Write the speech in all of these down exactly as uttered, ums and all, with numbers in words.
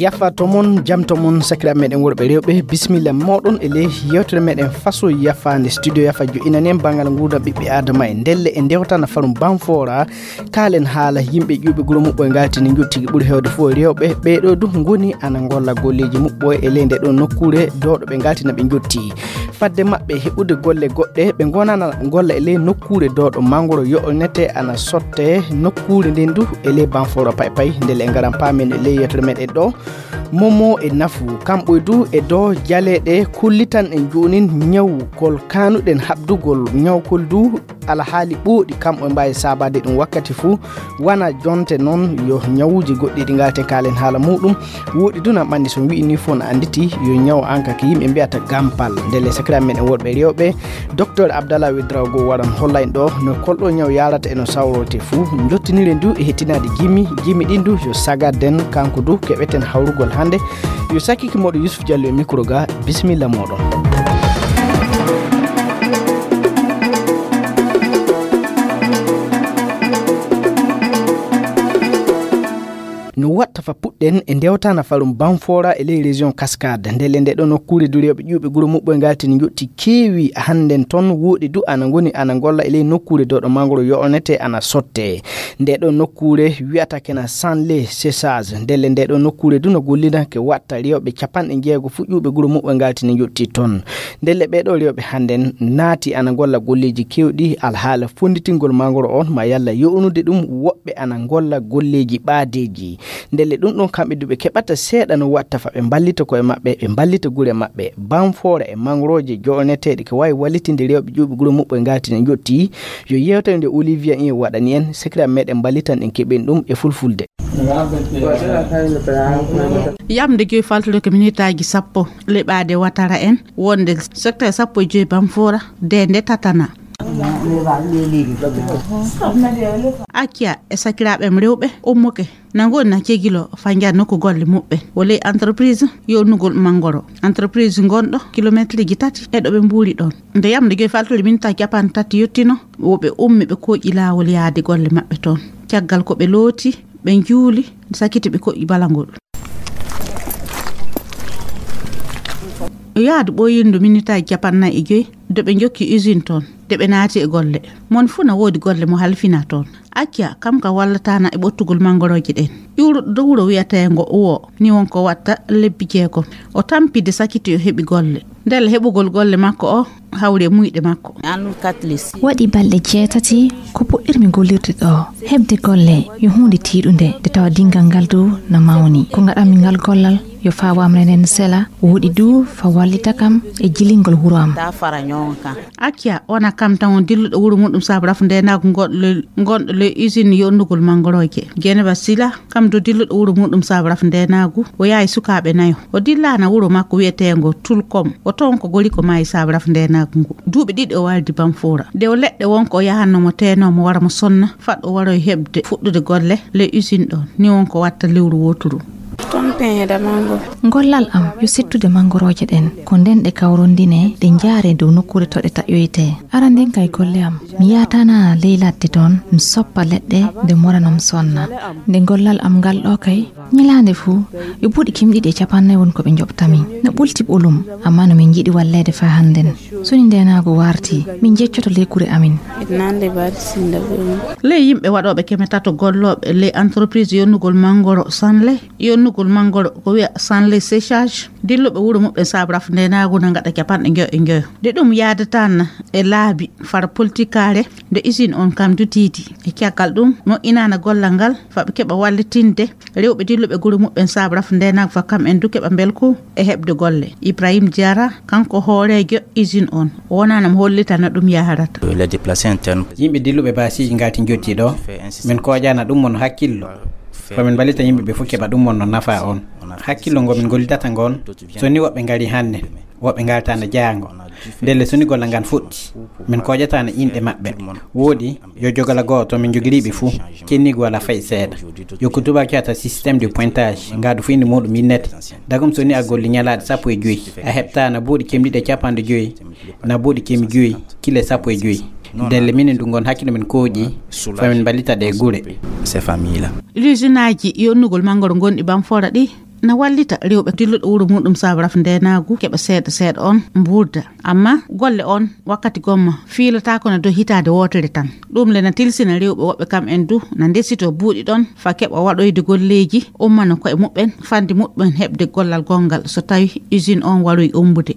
Yafa to mon, jam to mon, sakiraaɓe meɗen worɓe rewɓe, bisimilla moɗon e ley yewtere meɗen Faso Yafa, nde studio Yafa jo'inani en banngal nguurndam ɓiɓɓe Aadama. E ndelle e ndewtana farum Banfora, kaalen haala yimɓe ƴuuɓe guro muɓɓoy ngaltini njotti, ɓuri heewde fof rewɓe. Ɓeeɗo du ngoni ana ngolla golleeji muɓɓoy e ley nde ɗo nokkuure dowɗo ɓe ngaltina ɓe njotti. Fadde maɓɓe heɓude golle goɗɗe, ɓe ngonana golla e ley nokkuure dowɗo mangoro yo'onete ana sotte nokkuure nden du e ley Banfora pay pay. Ndelle en ngaran paamen e ley yewtere meɗen ɗo. Momo e nafu, kamɓe du e do jaleeɗe kullitan en joonin ñawu kol kanuɗen haɓdugol ñawkol du. Alhaali ɓooɗi kam o mbaawi saabaade ɗum wakkati fuu, wana jonte noon yo ñawuuji goɗɗi ɗi ngalten kaalen haala muuɗum. Wooɗi du nan ɓanndi so mi wi'i nii fof na annditi yo ñaw an ka ko yimɓe mbiyata gampal. Ndelle sakiraaɓe meɗen worɓe rewɓe, Docteur Abdallah Wedraogo waran hollayn ɗo no kolɗo ñaw yarata e no sawrorte fuu. Njottiniren du e hettinaade jimi, jimi ɗin du yo sagarden kanko du keɓeten hawrugol hannde. Yo sakiki moɗo Yusuf Diallo e micro ga, bisimilla moɗon. No watta fa puɗɗen e ndewtana farum Banfora e ley région Cascade. Ndelle nde ɗo nokkuure du rewɓe ƴuuɓe guro muɓɓoy ngaltini njotti keewi hannden toon. Wooɗi du ana ngoni ana ngolla e ley nokkuure dowɗo mangoro yo'onete ana sotte. Nde ɗo nokkuure wiyata kena Sanlé Séchage. Ndelle nde ɗo nokkuure du no gollida ke watta rewɓe capanɗe jeego fuu ƴuuɓe guro muɓɓoy ngaltini njotti toon. Ndelle ɓeeɗo rewɓe hannden naati ana ngolla golleeji keewɗi alhaala fonnditingol mangoro on ma yalla yo'onude ɗum woɓɓe ana ngolla golleeji ɓaadeeji. Ndelle ɗum ɗon kamɓe du ɓe keɓata seeɗa no watta fa ɓe mballita koye maɓɓe, ɓe mballita gure maɓɓe. Banfora e mangorooje jo'oneteeɗe ko waawi wallitinde rewɓe ƴuuɓe guro muɓɓoy ngaltini njotti. Yo yewtere nde Olivia Io waɗani en, sakiraaɓe meɗen mballitan en keɓen ɗum e fulfulde. Yamde joyi faltude ko minitaaji sappo leɓaade watara en wonde secteur sappo e joyi Banfora de nde tatana. Acca e sakiraaɓe am rewɓe ummuke na ngoni na cegilo fa njaha nokku golle muɓɓen o ley entreprise yonugol mangoro. Entreprise gonɗo kilometre ji tati e ɗo ɓe mbuuri ɗon. Nde yamde joyi faltude minitaaji capanɗe tati yottino, wo ɓe ummi ɓe koƴi laawol yaade golle maɓɓe toon. Caggal ko ɓe looti, ɓe njuuli, sakiti ɓe koƴi balangol. Yaadu ɓooyindu minitaaji capanɗe nayi e joyi, de ɓe njokki usine toon, de ɓe naati e golle. Mon fuu na woodi golle mo halfina toon. Acca kam ka wallataana e ɓottugol mangorooje ɗen. Ƴuuruɗo dow wuro wiyateengo Uwo, ni won ko watta lebbi jeegom. O tampi de sakiti o heɓi golle. Ndelle heɓugol golle makko o hawri e muyɗe makko. Waɗi balɗe jeetati ko puɗɗirmi gollirde ɗo. Heɓde golle yo huunde tiiɗunde, nde tawa dingal ngal dow na mawni. Ko ngaɗanmi ngal gollal yo faawaam renen sela, woɗi du fa wallita kam e jilingol wuro am. Acca, wona kam tan won dilluɗo wuro muɗum saabu rafu ndenaagu ngonɗo le, ngonɗo le usine yonnugol mangorooje. Geneva Sila, kam du dilluɗo wuro muɗum saabu rafu ndenaagu, o yahi sukaaɓe nayo. O dillaana wuro makko wiyeteengo Tulkom. O toon ko gori ko maayi saabu rafu ndenaagu ngu. Duuɓi ɗiɗi o wardi Banfora. Nde o leɗɗe won ko o yahanno mo teenoo mo wara mo sonna, faɗ o waroy heɓde fuɗɗude golle le usine ɗoon. Ni won ko watta lewru wooturu. Gollal am yo settude mangorooje ɗen. Ko nden ɗe kawrondine, ɗe njaare dow nokkuure to ɗe taƴoytee. Aranden kay golle am, mi yaatana ley ladde toon, mi soppa leɗɗe, nde mora no mi sonna. Nde gollal am ngal ɗo kay, ñalaande fuu, yo buuɗi kemɗiɗi e capannayi won ko ɓe njoɓta min. No ɓulti ɓolum, amma no min njiɗi walleede faa hannden. So ni ndeenaagu warti, min njeccoto ley gure amin. Ley yimɓe waɗooɓe keme tato gollooɓe ley entreprise yonnugol manngoro Sanlé, yonnugol manngoro ko wiya Sanlé Séchage, dilluɓe wuro muɓɓen saabu rafu ndeenaagu na ngaɗa capanɗe njoyo e njoyo. Nde ɗum yaadataa na e laabi fara politikaare nde usine on kam dutiidi. E caggal ɗum, moƴƴinaana gollal ngal, fa ɓe keɓa wallitinde rewɓe dilluɓe gure muɓɓen saabu rafu ndeenaagu fa kam en du keɓa mbelku e heɓde golle. Ibrahim Diarra, kanko hooreejo usine on, o wonaana mo hollitana ɗum yaharata. Yimɓe dilluɓe baasiiji ngalti njottii ɗo, min koojaana ɗum mon hakkillo. Ko min mballita yimɓe ɓe fof keɓa ɗum mon no nafa on. Hakkillo ngo min gollidata ngon, so ni woɓɓe ngari hannde, woɓɓe ngaltaana jaango. Ndelle so ni gollal ngal fuɗɗi, min koojataana inɗe maɓɓe. Wooɗi, yo jogala gooto, min njogiriiɓe fuu, cenniigu walaa fay seeɗa. Yo ko tubaak wiyata système de pointage, ngaadu fof innde muuɗum innete. Dagum so ni a golli ñalaaɗe sappo e joy, a heɓta na buuɗi kemɗiɗi e capanɗe joy, na buuɗi kemi joy, kile sappo e joy. Ndelle minen du ngon hakkille men kooƴi, fa min mballita ɗe gure. Ces familles-là. L'usinaaji yonnugol manngoro gonɗi Bamfora ɗi, na wallita rewɓe dilluɗo wuro muɗum sabu rafndenaagu keɓa seeɗa seeɗa on mbuurda. Amma golle on wakkati gomma fiilataako na dow hitaande wootere tan. Ɗum le na tilsina rewɓe woɓɓe kam en du na ndesito buuɗi ɗon fa keɓa waɗoyde golleeji ummano koye muɓɓen fande muɓɓen heɓde gollal gonngal so tawi usine on waroy umbude.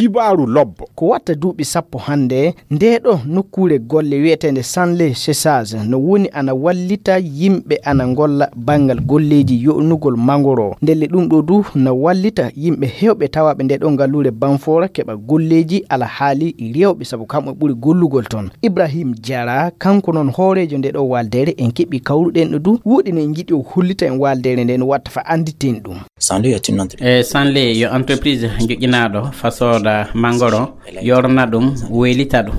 Kibaaru lobbo. Ko watta duuɓi sappo hannde, nde ɗo nokkuure golle wiyeteende Sanle Chessage no woni ana wallita yimɓe ana ngolla banngal golleeji yo'nugol mangoro. Ndelle ɗum ɗo du no wallita yimɓe heewɓe tawaaɓe nde ɗo ngaluure Banfora keɓa golleeji alahaali rewɓe sabu kamɓe ɓuri gollugol toon. Ibrahim Jara, kanko noon hooreejo nde ɗo waaldeere, en keɓi kawruɗen ɗo du, woɗi no en njiɗi o hollita en waaldeere nde no watta fa annditen ɗum. Sanle est une entreprise. E Sanle yo entreprise joƴƴinaaɗo fa sooda mangoro, yorna ɗum, weylita ɗum.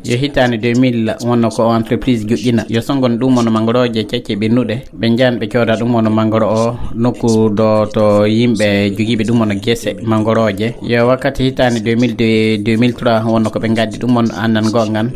Yo hitaande deux mille wonno ko o entreprise joƴƴina. Yo songon ɗum wonno mangorooje kecce ɓennuɗe. Ɓe njahan ɓe cooda ɗum wonno mangoro o nokku do to yimɓe jogiiɓe ɗum wonno gese mangorooje. Yo wakkati hitaande deux mille deux, deux mille trois wonno ko ɓe ngaddi ɗum wonno annan goongan.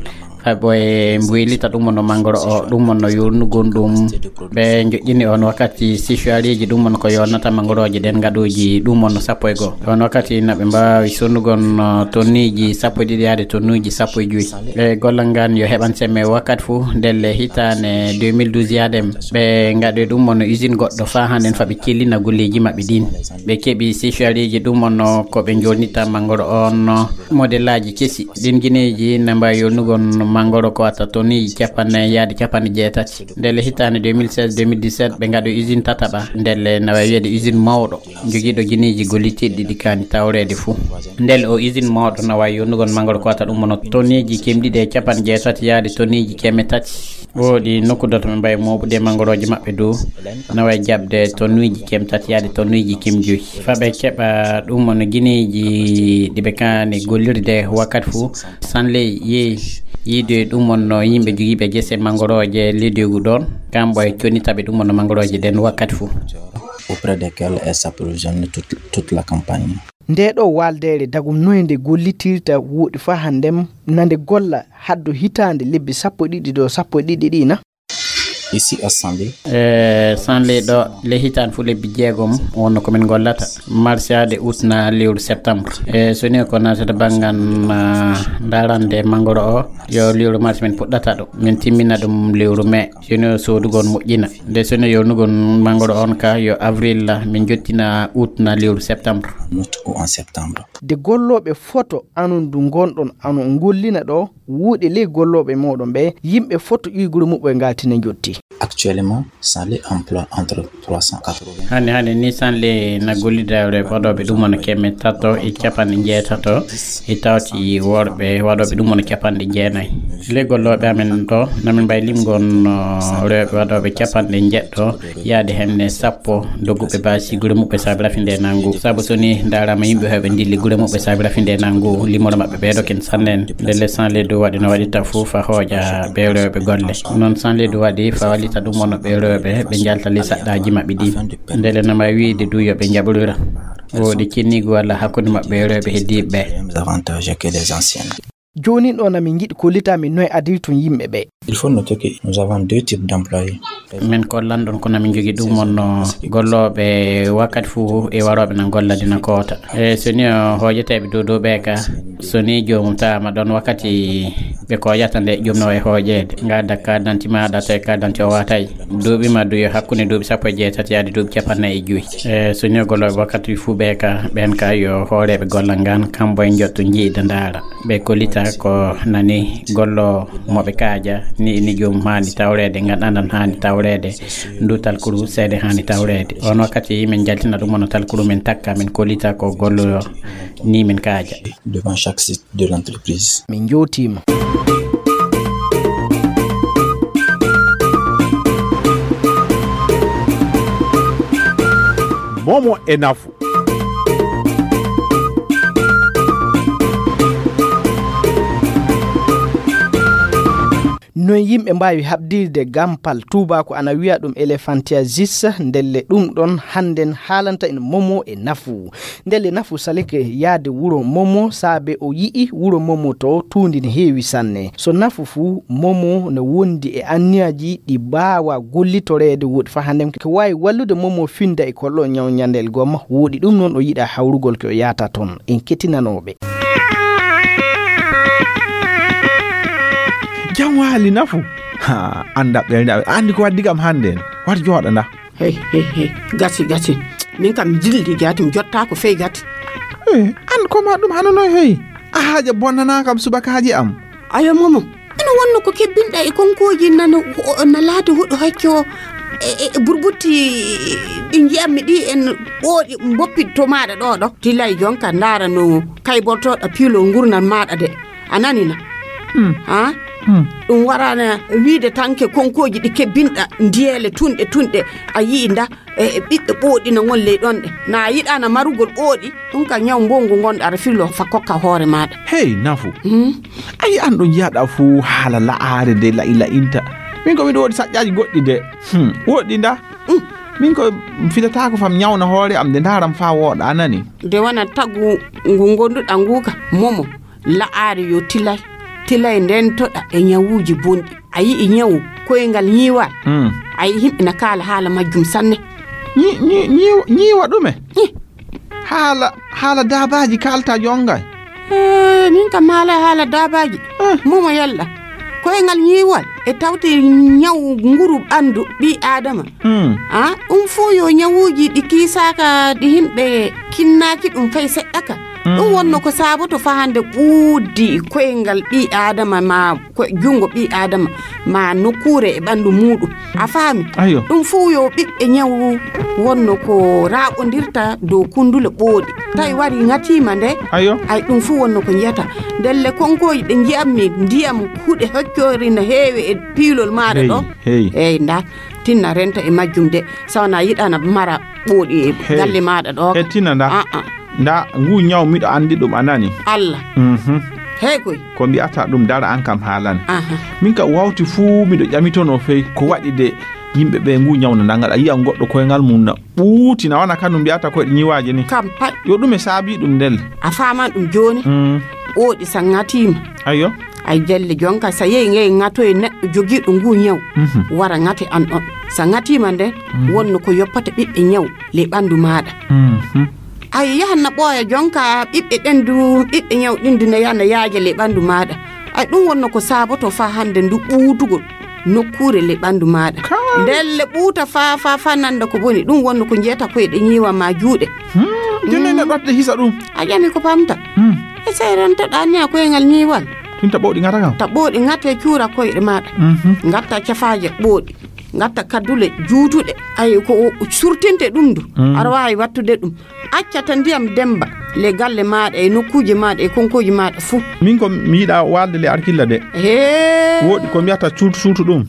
Hay ɓoye mbuylita ɗum wonno mangoro o, ɗum wonno yurnugol ɗum. Ɓe joƴƴini on wakkati sisuwareeji ɗum wonno ko yonnata mangorooje ɗen ngaɗooji ɗum wonno sappo e goo. On wakkati na ɓe mbaawi sonnugol, uh, tonniiji sappo e ɗiɗi yaade tonnuuji sappo e joyi. Ɓe gollal ngal yo heɓan semme wakkati fof ndelle hitaande deux mille douze yaade ɓe ngaɗoyi ɗum wonno usine goɗɗo faa hannden fa ɓe cellina golleeji maɓɓe ɗin. Ɓe keɓi sisuwareeji ɗum wonno ko ɓe jonnita mangoro on modelaaji kesi. Ɗin gineeji na mbaawi yonnugol mangoro ko watta tonniiji capanɗe nayi yaade capanɗe jeetati. Ndelle hitaande deux mille seize deux mille dix-sept ɓe ngaɗoyi usine tataɓa. Ndelle na waawi wiyeede usine mawɗo jogiiɗo gineeji gollitiiɗi ɗi kaani tawreede fuu. Ndelle o usine mawɗo na waawi yonnugol mangoro ko watta ɗum wonno tonniiji keme ɗiɗi e capanɗe jeetati yaade tonniiji keme tati. Woodi nokku do to ɓe mbaawi mooɓude mangorooje maɓɓe dow, na waawi jaɓde tonnuuji keme tati yaade tonnuuji keme joyi. Fa ɓe keɓa ɗum wonno gineeji ɗi ɓe kaani gollirde wakkati fof. Sanle yehi yiide ɗum wonno yimɓe jogiiɓe gese mangorooje ledoygu ɗoon, kamɓe e connitaɓe ɗum wonno mangorooje ɗen wakkati fof. Auprès desquels elle s'approvisionne toute, toute la campagne. Nde ɗo waaldeere dagum noye nde gollitirta woɗi fa hannden na nde golla haddo hitaande lebbi sappo e ɗiɗi ɗo sappo e ɗiɗi ɗi na? Ici à Sanlé. E Sanlé ɗo le hitaande fof lebbi jeegom wonno ko min gollata. Mars yaade août na lewru septembre. E so ni ko naatata banngal, ah, ndarande mangoro o, yo lewru mars min puɗɗata ɗo. Min timmina ɗum lewru mai. Sino soodugol moƴƴina. Nde sino yonugol mangoro on ka yo avril la, min jottina août na lewru septembre. Août ou en septembre. De gollooɓe foto anon du ngonɗon ano ngollina ɗo, wuuɗe ley gollooɓe mooɗon ɓe, yimɓe foto ƴuygure muɓɓe ngaltina njotti. Actuellement, Sanlé emploie entre trois cent quatre-vingts. Hannde, hannde ni Sanlé na gollida e waɗooɓe ɗum wona keme tato e capanɗe njeetato e tawti worɓe waɗooɓe ɗum wona capanɗe jeenayi. Ley gollooɓe amen ɗo, na min mbawi limgol, no, rewɓe waɗooɓe capanɗe njeɗɗo, yaade henne sappo, dogguɓe baasi gure muɓɓe saabi rafinde nanngu. Sabu so ni ndaarama yimɓe heewɓe ndilli gure muɓɓe saabi rafinde nanngu, limoro maɓɓe ɓeedo ken sannen. Ndelle Sanlé du waɗi no waɗita fof fa hooƴa ɓe rewɓe golle. Noon Sanlé du waɗi fa wallita ɗum wona ɓe rewɓe ɓe njalta ley saɗɗaaji maɓɓe ɗin. Ndelle na mbawi wiide du yo ɓe njaɓorira. Woodi cinniigu walla hakkunde maɓɓe e rewɓe heddiiɓe ɓe. Avantage que les anciens. Jooni ɗo na min njiɗi kollita min noye adiri tun yimɓe ɓe. Il faut noter que nous avons deux types d'employés. Min kollan ɗon ko na min jogi ɗum wonno gollooɓe wakkati fof e warooɓe na golla dina koota. E so ni o hooƴeteeɓe dow dow ɓe ka, so ni joomum tawama ɗon wakkati ɓe koƴata nde joom no wawi hooƴeede. Ngadda carte d'identité maɗa tawi carte d'identité o watay. Duuɓi ma du yo hakkunde duuɓi sappo e jeetati yaade duuɓi capanɗe nayi e joyi. E so ni o gollooɓe wakkati fof ɓe ka, ɓen ka yo hooreeɓe gollal ngal kambo e njotto jiida ndaara. Ɓe kollita ko nani gollo mo ɓe kaaja, ni, ni joom haani tawreede, ngal andan haani tawreede, ndu talkuru seede haani tawreede. On wakkati min jaltina ɗum ono talkuru min takka, min kollita ko gollo ni min kaaja. Devant chaque site de l'entreprise. Min njootiima. Momo e nafu. Noy yimɓe mbaawi haɓdirde gampal tuubaaku ana wiya ɗum elephantiasis, ndelle ɗum ɗon hannden haalanta en momo e nafu. Ndelle nafu salike yaade wuro momo saabe o yi'i wuro momo to tuundi ne heewi sanne. So nafu fuu, momo ne wondi e anniyaaji ɗi mbaawa gollitoreede woɗi faa hannden ko waawi wallude momo finda e kollo ñaw ñandel gomma woɗi ɗum noon o yiɗa hawrugol ko o yaata toon. En kettinanooɓe. Jam waali nafu. Ha, annda ɓernde amen. Anndi ko waddi kam hannde en. War jooɗa nda. Hey, hey, hey. Gasi, gasi. Min kam mi jilli gati, mi jotta ko fey gati. Eh, an ko ma ɗum hano noy hey? A haaja bonnana kam subakaaji am. Ayo momo. Ina wonno ko kebbinɗa e konkooji nana, o-, o-, na laati huɗo hacco e, e, e burbutti ɗi njiyammi ɗi en ɓooɗi mboppi to maaɗa ɗo ɗo. Tilay jonka ndaara no kaybortoɗa piilol ngurnal maaɗa de. A nani na? Hmm. Ha? Hmm. Ɗum warana wiide tanke konkooji ɗi kebbinɗa ndiyeele tunɗe tunɗe a yi'i nda e, e ɓiɓɓe ɓooɗi na ngon ley ɗon ɗe. Na a yiɗana marugol ɓooɗi, ɗum ka ñaw mbongu ngonɗo aɗa fillo fa kokka hoore maaɗa. Hey, nafu. Hmm? Ayi an ɗo njiyaɗa fuu haala la'aare nde la'i la'inta. Min ko miɗo woodi saƴƴaaji goɗɗi de. Hmm. Woɗɗi nda? Hmm. Min ko mi filataako fam ñawna hoore am nde ndaaram faa wooɗa a nani. Nde wona tagu ngu ngonduɗa ngu ka momo. La'aare yo tilay, tilay ndentoɗa e ñawuuji bonɗi. A yi'i ñawu koyngal ñiiwal? Hmm. A yi'i yimɓe na kaala haala majjum sanne. Ñi-, ñi-, ñiiw-, ñiiwa ɗume? Ih. Haala, haala daabaaji kaalta jonnga. Eh, min kam haala, haala daabaaji. Eh. Momo yalla. Koyngal ñiiwal e tawti ñaw nguru ɓandu ɓii Aadama. Hmm. Ah, ɗum fof yo ñawuuji ɗi kiisaaka ɗi yimɓe kinnaaki ɗum fay seɗɗa ka. Hmm. Ɗum wonno ko saaboto fahande ɓuuɗdi koyngal ɓii Aadama ma ko junngo ɓii Aadama ma nokkuure e ɓanndu muuɗum. A faami? Ayo. Ɗum fof yo ɓiɓɓe ñawu wonno ko raaɓondirta dow kunndule ɓooɗi. Tawi wari ŋatiima nde, ayo. Ay ɗum fof wonno ko njiyata. Ndelle konkooji ɗe njiyammi ndiyam huɗe hoccoori no heewi e piilol maaɗa hey, ɗo. Hey. Eey, nda, tinna renta e majjum de. Sawana yiɗana mara ɓooɗi e hey. Galle maaɗa ɗo. Hettina nda. Ah, ah. Nda, ngu ñaw miɗo anndi ɗum a nani. Allah. Mhm. Hey koy. Ko mbi'ata ɗum dara an kam haalan. Aha. Min ka wawti fuu miɗo ƴamitono fey ko waɗi de yimɓe ɓe ngu ñaw na ndangal. A yi'an goɗɗo koyngal mum na ɓuuti na wana kanum mbiyata koyɗe ñiwaaje ni. Kam pat. Yo ɗume saabi ɗum ndel. A faaman ɗum jooni? Mm. Ɓooɗi sa ŋatiima. Ayo. Ay jelle jonka sa yehi ngey ŋatoye neɗɗo jogiiɗo ngu ñaw. Mhm. Wara ŋate an ɗon. Sa ŋatiima nden, mhm. Wonno ko yoppata ɓiɓɓe ñaw le ɓanndu maaɗa. Mhm. Ay yahan na ɓooya jonka ɓiɓɓe ɗen du, ɓiɓɓe ñaw ɗin du na yaha na yaaja le ɓanndu maaɗa. Ay ɗum wonno ko saaboto faa hannde ndu ɓuutugol nokkuure le ɓanndu maaɗa. Kaay. Ndelle ɓuuta faa, faa, faa nannda ko boni. Ɗum wonno ko njiyata koyɗe ñiiwa ma juuɗe. Hmm, jooni mm. Neɗɗo waɗde hisa ɗum. A ƴami ko pamta. Hmm. E sey rentoɗaa ni a koyngal ñiiwal. Ɗum ta ɓooɗi ŋata kam. Ta ɓooɗi ŋate cuura koyɗe maaɗa. Mhm. Ngatta cafaaje ɓooɗi. Ngatta kaddule juutuɗe. Ay ko surtinte ɗum du. Mm. Aɗa waawi wattude ɗum. Accata ndiyam demba le galle maaɗa e nokkuuje maaɗa e konkooji maaɗa fuu. Min ko mi yiɗa waalde le alkilla de. Hee. Woɗi ko mbiyata suutu suutu ɗum.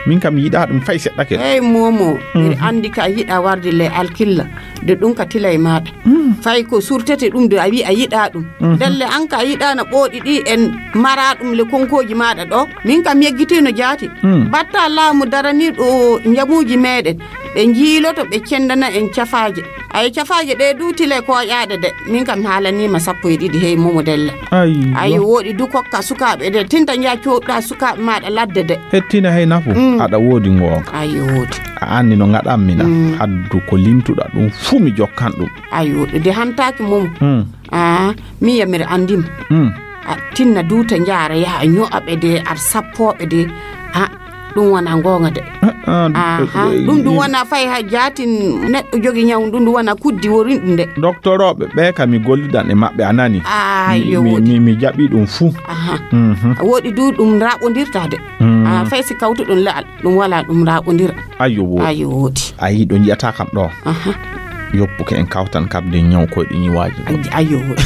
Min kam mi yiɗa ɗum fay seɗɗa ke. Hey momo, mhm. Miɗa anndi ka yiɗa warde le alkilla. De ɗum ka tila e maaɗa. Mm. Fay ko surtete ɗum de a wi a yiɗa ɗum. Mhm. Ndelle an ka yiɗana ɓooɗi ɗi en mara ɗum le konkooji maaɗa ɗo. Min kam yeggitino jaati. Mm. Batta laamu daraniiɗo njamuuji meeɗen. Ɓe njiiloto, ɓe cendana en cafaaje. Ay cafaaje ɗe du tile koƴaaɗe de. Min kam haalaniima sappo e ɗiɗi hey momo della. Aywa. Ay woɗi du kokka sukaaɓe de. Tinta nja coɗɗa sukaaɓe maaɗa ladde de. Hettina hey nafu. Mm. Aɗa woodi ngoonga. Ay woodi. A anndi no ngaɗammi na. Mm. Haddu ko limtuɗa ɗum fuu mi jokkan ɗum. Ay woɗi de hantaaki momo. Mm. Ah, min yamir anndima. Mm. A tinna duuta njaara yaha ño'aɓe de ar sappooɓe de. Ah, ɗum wona ngoonga de. Ah, ah, aha eh, ɗum ɗum eh, wona fay ha jaatin neɗɗo jogi ñaw ɗum ɗum wona kuddi worin ɗum de. Doctorooɓe ɓe ka mi gollidan e maɓɓe a nani. Ah, mi, yo mi, woodi. Mi, mi jaɓi ɗum fuu. Aha. Mhm. Woodi du ɗum raɓondirta de. Mm. Ah, fay si kawtuɗon la'al ɗum wala ɗum raɓondira. Ayo woodi. Ayo woodi. A yi ɗo njiyata kam ɗo. Aha. Yoppuke en kawtan kam de ñaw koyɗe ñiwaaji. Ay-, ayo woodi.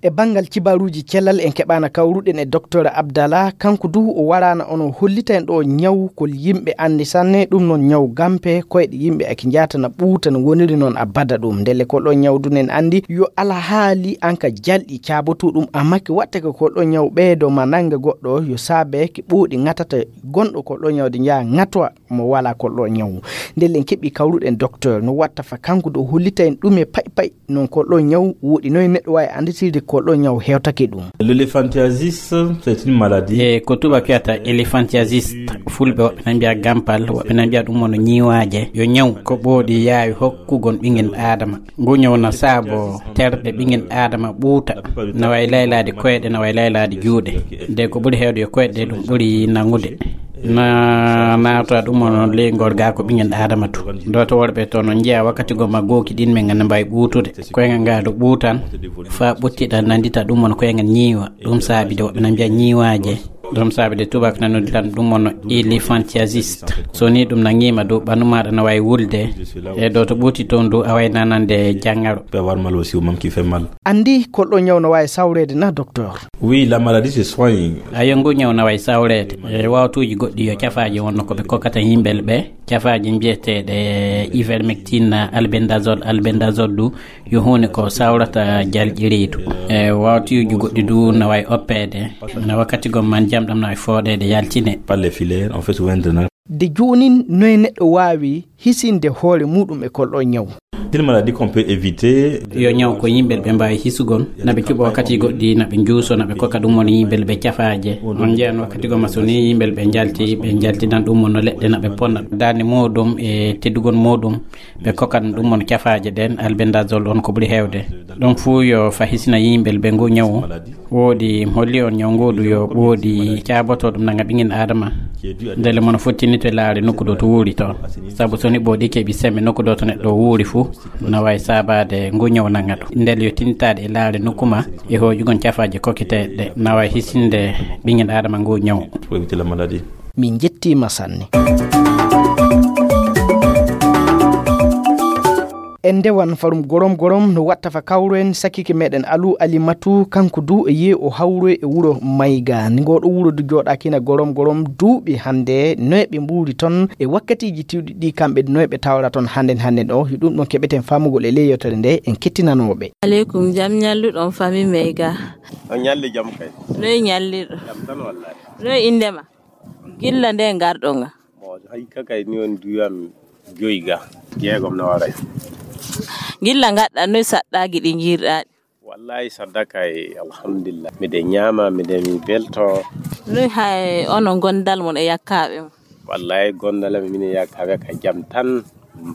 E banngal cibaaruuji cellal, en keɓaana kawruɗen e Doktor Abdallah, kanko du o waraana on o hollita en ɗo ñaw ko yimɓe anndi sanne, ɗum noon ñaw gampe, koyɗe yimɓe ake njaatana ɓuuta no woniri noon abada ɗum. Ndelle ko ɗo ñaw du nen anndi yo alhaali an ka jalɗi caabotu ɗum, amma ki watta ko ko ɗo ñaw ɓeydo ma nannga goɗɗo yo saabe ki ɓooɗi ŋatata gonɗo ko ɗo ñawde njaha ŋatwa mo wala ko ɗo ñaw. Ndelle en keɓi kawruɗen Doktor no watta fa kanko du o hollita en ɗume pay pay. Noon ko ɗo ñaw woɗi noy neɗɗo waawi annditirde ko ɗo ñaw hewtake ɗum. L'éléphantiasis, c'est une maladie. E ko tubaak wiyata éléphantiasis, fulɓe woɓɓe na mbiya gampal, woɓɓe na mbiya ɗum wano ñiiwaaje. Yo ñaw ko ɓooɗi yaawi hokkugol ɓingen aadama. Ngu ñaw na saabo terɗe ɓingen aadama ɓuuta, na wayi laylaade koyɗe, na wayi laylaade juuɗe. De ko ɓuri heewde yo koyɗe ɗum ɓuri nangude. Na naata ɗum on ley ngol gaa ko ɓingen aadama to. Dooto worɓe to no njiya wakkati goma gooki ɗin men ngana mbawi ɓuutude. Koyngal ngal ɗo ɓuutan, faa ɓuttiɗa nandita ɗum on koyngal ñiiwa. Ɗum saabi de woɓɓe na mbiya ñiiwaaje. Ɗum saabi de tubaak na nodditan ɗum on éléphantiasis. So ni ɗum na ñiima dow ɓandu maaɗa na wawi wulde. E dooto ɓuuti toon dow a way nanande jangaro. Pe avoir mal aussi au même qui fait mal. Anndi ko ɗo ñaw no waawi sawreede na, Doktor? Oui, la maladie se soigne. Ayo, ngu ñaw na wayi sawreede. E wawtuuji goɗɗi yo cafaaji wonno ko ɓe kokkata yimɓe ɓe. Cafaaji mbiyeteeɗe ivermectine, albendazole, albendazole du yo huunde ko sawrata jalƴi reedu. E wawtuuji goɗɗi du na wayi oppeede. Na wakkati gom man jam ɗam na wayi fooɗeede yaltine. Par les filaires, on fait souvent un drainage. De joonin, noye neɗɗo waawi hisinde hoore muuɗum e kol ɗoo ñaw? Une maladie qu'on peut éviter. Yo ñaw ko yimɓe ɓe mbaawi hisugol, na ɓe cuɓa wakkati goɗɗi, na ɓe njuuso, na ɓe kokka ɗum woni yimɓe ɓe cafaaje. On njeyan wakkati goma so ni yimɓe ɓe njalti, ɓe njaltinan ɗum won no leɗɗe na ɓe ponna. Daande muuɗum e teddugol muuɗum, ɓe kokkan ɗum won cafaaje ɗen, albendazole on ko ɓuri heewde. Ɗum fuu yo fa hisina yimɓe ɓe ngu ñaw. Woodi holli on ñaw nguuɗu yo ɓooɗi caaboto ɗum nanga ɓingel Adama. Ndele mono fottinito e laare nokku ɗo to wuuri to. Sabu so ni ɓooɗi keɓi sembe nokku ɗo to neɗɗo wuuri fuu, na wawi saabaade ngu ñaw nanga ɗum. Ndele yo tinitaade e laare nokku ma e hooƴugon cafaaje kokketeeɗe ɗe, na wawi hisinde ɓingel Adama ngu ñaw. Pour éviter la maladie. Min njettiima sanne. En ndewan farum gorom gorom no watta fa kawro en sakike meɗen Alu Alimatu, kanko du e yehi o hawroy e wuro Mayga. Ni ngoɗo wuro du jooɗakina gorom gorom duuɓi hannde, noy ɓe mbuuri ton e wakkatiiji tiwɗi ɗi kamɓe noy ɓe tawra ton hannden hannden o? Yo ɗum ɗon keɓeten famugol e ley yewtere nde en kettinanooɓe. Aleykum, jam ñalluɗon fami Mayga. On ñalli jam kay. Noy ñallirɗo? Jam tan wallahi. Noy innde ma? Gilla nde ngarɗon ga? Bon, hay ka kay ni on duwam joyi ga. Jeegom no waray. Gilla ngadɗa noy saɗɗaaji ɗi njiirɗaa ɗi? Wallahi sadaka e alhamdulillah. Miɗen ñaama, miɗen mi belto. Noy hay onon gondal mon e yakkaaɓe mon? Wallahi gondal am minen yakkaaɓe ka jam tan.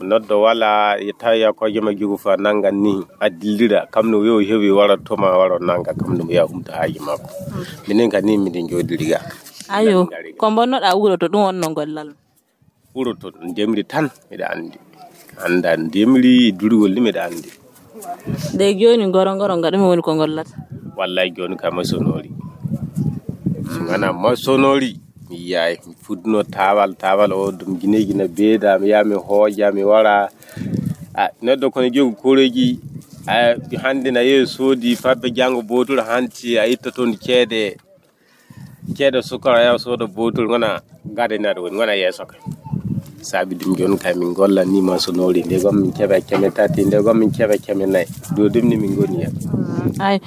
Noddo wala, tawi ko joma jogu fa nanga ni, a dillira, kam no yo hewi wara to ma waro nanga, kam no ya humta haaji makko. Minen ka ni miɗen jooɗiri ga. Ayo, ko mbonnoɗa wuro to ɗum wonno gollal? Wuro to ndemri tan miɗa andi. Anda ndemri durgol ni miɗa andi. De joni ngoro ngoro nga ɗum woni ko ngollata? Wallahi joni ka masonori. Sungana masonori. Mi yaay, mi fudduno taawal, taawal o ɗum gineeji na beeda, mi yaha mi hooja, mi wara. A, neɗɗo kono jogi koreeji, a, hannde na yehi soodi fabbe janngo bootol hanti, a itta toon ceede, ceede sukara yaha sooda bootol, ngona gade naɗo woni, ngona yeeso ka. Saabi ɗum jooni kay min golla ni ma so noori, nde gom min keɓa keme tati, nde gom min keɓa keme nayi. Ɗo ɗum ni min ngoni hen. Ay,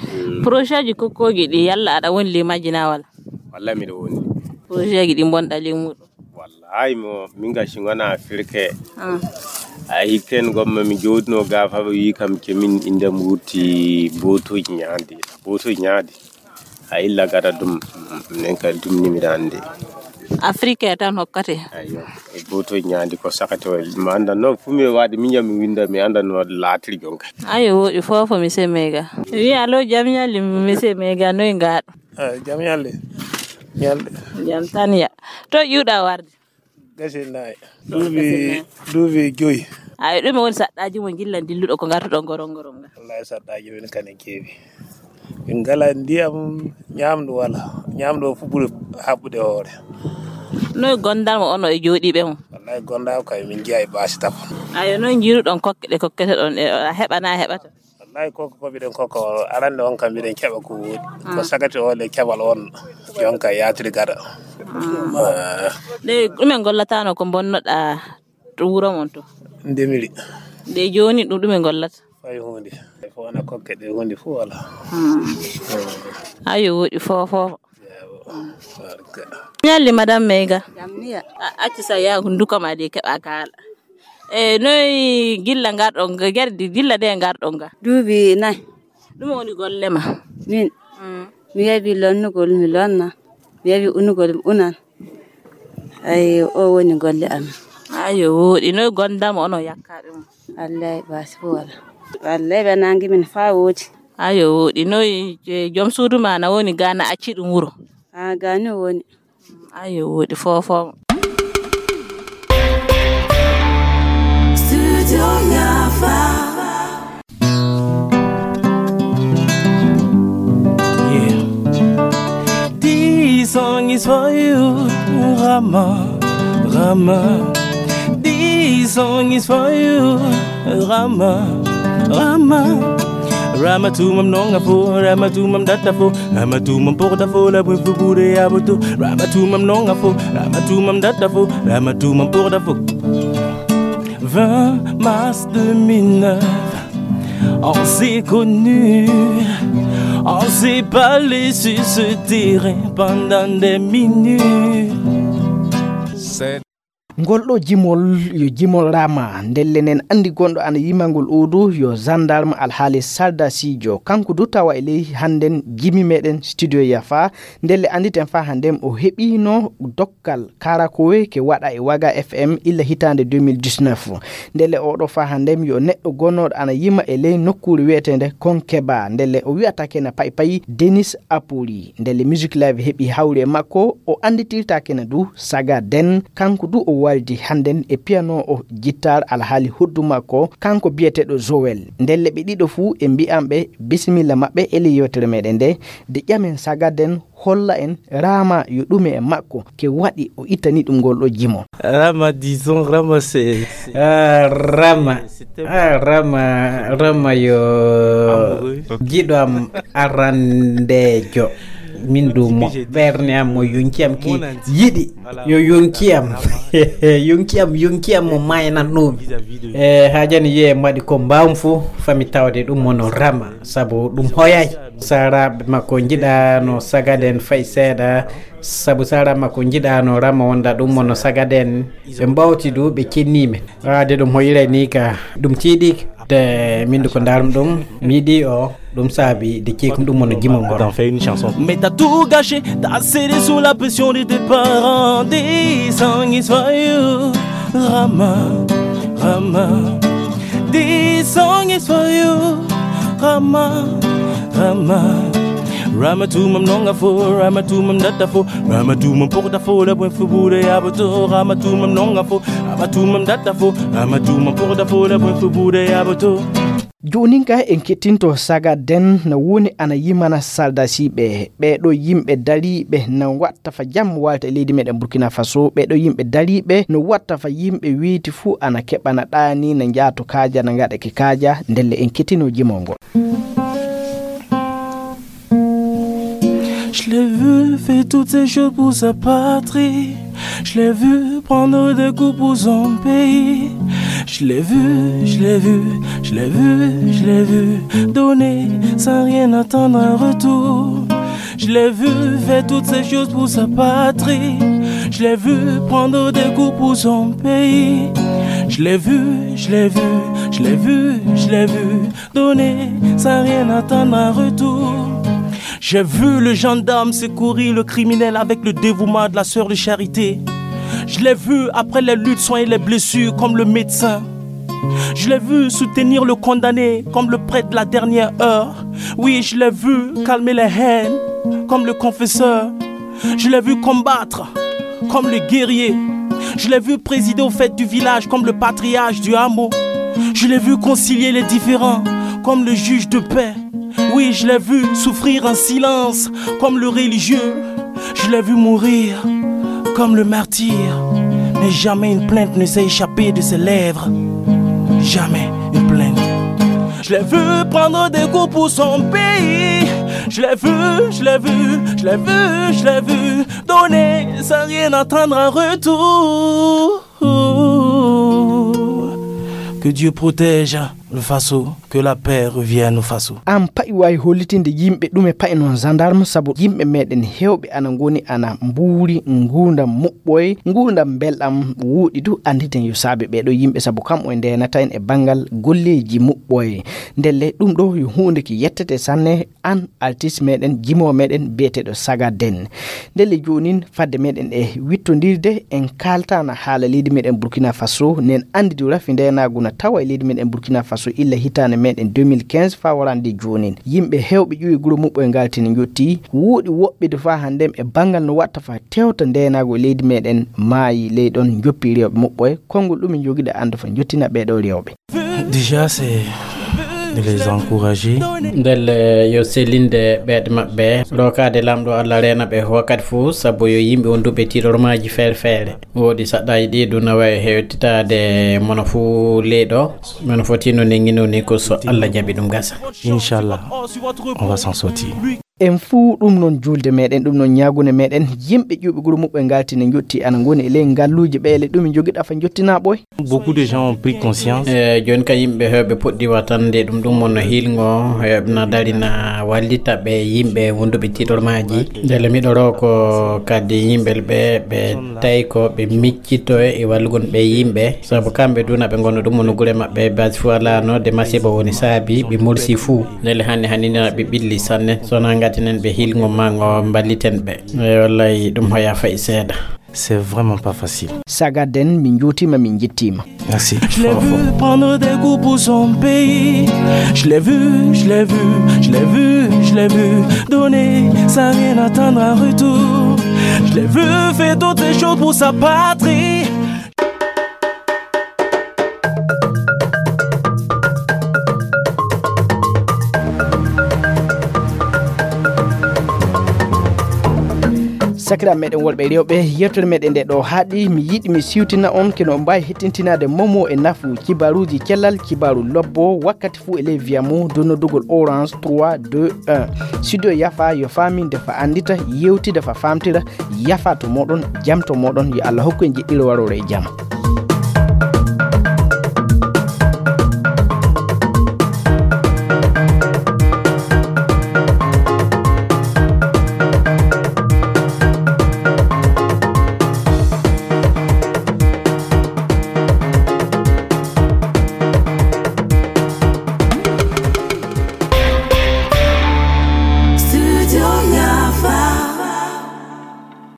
projet ji kokkooji ɗi, yalla aɗa woni ley majji na wala? Walla miɗo woni. Projet ji ɗi mbonɗa ley muɗum? Wallahi mo, min ga si ngona firke. Ah. A hikken gomma mi jooɗino ga fa ɓe wi kam ke min inde am wurti botoji ñaandi. Botoji ñaandi. A illa gada ɗum, min ka ɗum ni miɗa andi. Afrique tan hokkate. Ayo, e botoji ñaandi ko sakate o ma anda no fu mi waɗi min jam mi winda mi anda no laatiri jonka. Ayo, woɗi fofo mi semega. Wi alo jam ñalli mi semega noy ngaɗo? Ah, jam ñalli. Ñalli. Jam tan ya. To ƴuuɗa warde? Gasi nayi. Duuɓi, duuɓi joyi. Ay, ɗume woni saɗɗaaji mon gilla dilluɗo ko ngartuɗon goron goron nga? Wallahi saɗɗaaji men kane keewi. Min ngala ndiyam, ñamdu wala. Ñamdu o fu ɓuri haɓɓude hoore. Noy gondal mo ono e jooɗiiɓe mo? Wallahi gondal kay min njiya e baasi tafo. Ayo, noy njiruɗon kokke ɗe kokkete ɗon e a heɓana heɓata? Lay koko ko mbiɗen koko arande on kam mbiɗen keɓa ko wooɗi. Ko sagati o le keɓal on jonka yaatiri gada. Ah. Nde ɗumen gollatano ko bonnoɗa to wuro mon to? Ndemiri. Nde joni ɗum ɗumen gollata? Fay hunde. Fo wona kokke ɗe hunde fo wala. Ayo wooɗi fofo. Ñalli madame Meyga. Jamniya. Acci sa yaha hunduko ma de keɓa kaala. E noy gilla ngarɗon ga gardi gilla de ngarɗon ga? Duubi nay. Ɗum woni golle ma? Min. Mm. Mi yawi lonnugol mi lonna. Mi yawi unugol mi unan. Ay o woni golle amin. Ayo wooɗi noy gondamo ono yakkaɓe mo? Wallahi basi fo wala. Wallahi ɓe nangi min fa woodi. Ayo wooɗi noy? Joom suudu ma na woni ga na acci ɗum wuro? A gani o woni. Ayo wooɗi fofo. Studio Yafa. Yeah. This song is for you, Rama, Rama. This song is for you, Rama, Rama. Rama tumam nonga fo, Rama tumam data fo, Rama tumam porta fo, la bwe fubure aboto. Rama tumam nonga fo, Rama tumam data fo, Rama tumam porta fo. Vingt mars deux mille neuf, on s'est connu, on s'est parlé sur ce terrain pendant des minutes. Ngol ɗo jimol yo jimol Rama. Ndelle nen anndi gonɗo ana yimangol odu yo gendarme alhaali sardasiijo. Kanko du tawa e ley hannden jimi meɗen studio Yafa. Ndelle annditen fa hannden o heɓiino dokkal karakowe ke waɗa e Waga F M illa hitaande deux mille dix-neuf. Ndelle oɗo fa hannden yo neɗɗo gonnoɗo ana yima e ley nokkuure wi'eteende Konkeba. Ndelle o wi'ata kena pay pay Denis Apoli. Ndelle Music Live heɓi hawri e makko, o annditirta kena du Saga Den. Kanko du o waldi hannden e piano o jittar alhaali hoddu makko, kanko biyeteeɗo Joel. Ndelle ɓe ɗiɗo fuu e mbi'an ɓe bisimilla maɓɓe e ley yewtere meɗen nde, de ƴamen Saga Den holla en Rama yo ɗume e makko ke waɗi o ittani ɗum ngol ɗo jimo. Rama, disons, Rama, c'est, c'est Ah, Rama. Ah, Rama, Rama yo Amoureux. Giɗo am arandejo. Min du mo ɓerne am mo yonki am ki yiɗi. Yo yonki am. Yonki am, yonki am mo maynannomi. E haajani yiye mbaɗi ko mbawmi fo fami tawde ɗum mono Rama sabu ɗum hoyay. Saraɓe makko jiɗano Saga Den fay seeɗa. Sabu sara makko jiɗano Rama wonda ɗum mono Saga Den. Ɓe mbawti du ɓe cennimi. Waade ɗum hoyre ni ka ɗum tiiɗi. De min du ko darmi ɗum mi yiɗi o ɗum saabi de ceekum ɗum mono jimol ngol. D'en faire une chanson. Mais t'as tout gâché, t'as cédé sous la pression de tes parents. This song is for you, Rama, Rama. This song is for you, Rama, Rama. Rama tumam nonga fo, Rama tumam data fo, Rama tumam porta fo, la buen fubure aboto. Rama tumam nonga fo, Rama tumam data fo, Rama tumam porta fo, la buen fubure aboto. Jonin ka en kettinto Saga Den no woni ana yimana sardasiiɓe. Ɓeeɗo yimɓe dariiɓe no watta fa jam walta e leydi meɗen Burkina Faso. Ɓeeɗo yimɓe dariiɓe no watta fa yimɓe weyti fuu ana keɓana ɗaani no njaato kaaja no ngaɗa ke kaaja. Ndelle en kettino jimol ngol. Je l'ai vu faire toutes ces choses pour sa patrie. Je l'ai vu prendre des coups pour son pays. Je l'ai vu, je l'ai vu, je l'ai vu, je l'ai vu donner sans rien attendre en retour. Je l'ai vu faire toutes ces choses pour sa patrie. Je l'ai vu prendre des coups pour son pays. Je l'ai vu, je l'ai vu, je l'ai vu, je l'ai vu donner sans rien attendre en retour. J'ai vu le gendarme secourir le criminel avec le dévouement de la sœur de charité. Je l'ai vu après les luttes soigner les blessures comme le médecin. Je l'ai vu soutenir le condamné comme le prêtre de la dernière heure. Oui, je l'ai vu calmer les haines comme le confesseur. Je l'ai vu combattre comme le guerrier. Je l'ai vu présider aux fêtes du village comme le patriarche du hameau. Je l'ai vu concilier les différends comme le juge de paix. Oui, je l'ai vu souffrir en silence comme le religieux. Je l'ai vu mourir comme le martyr. Mais jamais une plainte ne s'est échappée de ses lèvres. Jamais une plainte. Je l'ai vu prendre des coups pour son pays. Je l'ai vu, je l'ai vu, je l'ai vu, je l'ai vu donner sans rien attendre en retour. Que Dieu protège le Faso, que la paix revienne au Faso. An pa'i waawi hollitinde yimɓe ɗume pa'i noon gendarme, sabu yimɓe meɗen heewɓe ana ngoni ana mbuuri nguurndam muɓɓoy, nguurndam mbelɗam wuuɗi du. Annditen yo saabe ɓeeɗo yimɓe, sabu kam o ndeenata en e banngal golleeji muɓɓoy. Ndelle ɗum ɗo yo huunde ki yettete sanne, an artiste meɗen, jimoowo meɗen biyeteeɗo Saga Den. Ndelle joonin, fadde meɗen e wittondirde, en kaaltaana haala leydi meɗen Burkina Faso, nen anndi du rafi ndeenaagu na tawa e leydi meɗen Burkina Faso illa hitaande meɗen deux mille quinze faa warande joonin. Yimɓe heewɓe ƴuwi guro muɓɓo e ngaltini njotti, wuuɗi woɓɓe du faa hannden e banngal no watta faa tewta ndeenaagu e leydi meɗen maayi ley ɗon njoppi rewɓe muɓɓo e konngol ɗum en jogiɗo anndu faa njottina ɓeeɗo rewɓe. Déjà, c'est de les encourager. Ndelle yo sellinde ɓeeɗe maɓɓe, rookaade Laamɗo Allah reena ɓe wakkati fuu, sabu yo yimɓe wonduɓe tiiɗormaaji feere feere. Woodi saɗɗaaji ɗi ɗum na waawi hewtitaade mono fuu leyɗo, mono foti no nenngino ni ko so Allah jaɓi ɗum gasa. Inch'Allah, on va s'en sortir. En fuu ɗum noon juulde meɗen, ɗum noon ñaagunde meɗen, yimɓe ƴuuɓe guro muɓɓe ngalti ne njotti ana ngoni e ley ngalluuje ɓeele ɗum e jogiɗa fa njottinaa ɓoy. Beaucoup de gens ont pris conscience. E jooni ka yimɓe heewɓe puɗɗi watande ɗum, ɗum wonno hiilngo heewɓe na dari na wallita ɓe yimɓe wonduɓe tiiɗormaaji. Ndelle miɗo roo ko kadi yimɓe ɓe ɓe tawi ko ɓe miccito e wallugol ɓe yimɓe, sabu kamɓe duna ɓe ngonu ɗum woni gure maɓɓe basi fuu alaa no de masiba woni saabi ɓe mursi fuu. Ndelle hannde hannde na ɓe ɓilli sanne, so na ngatinen ɓe hiilngo ma ngo mballiten ɓe. E wallay ɗum hoya fayi seeɗa. C'est vraiment pas facile. Sagaden, min njuutiima, min njettiima. Merci. Je l'ai vu prendre des coups pour son pays. Je l'ai vu, je l'ai vu, je l'ai vu, je l'ai vu donner sans rien attendre en retour. Je l'ai vu faire toutes ces choses pour sa patrie. Sakiraaɓe meɗen worɓe e rewɓe, yewtere meɗen nde ɗo haaɗi. Mi yiɗi mi siwtina on kino mbaawi hettintinaade momo e nafu kibaruuji cellal, kibaaru lobbo, wakkati fuu e ley via mo dow noddugol Orange trois deux un. Studio Yafa yo faaminde fa anndita, yewtida fa faamtira. Yafa to moɗon, jam to moɗon, yo Allah hokku en jiɗɗiro warore e jam.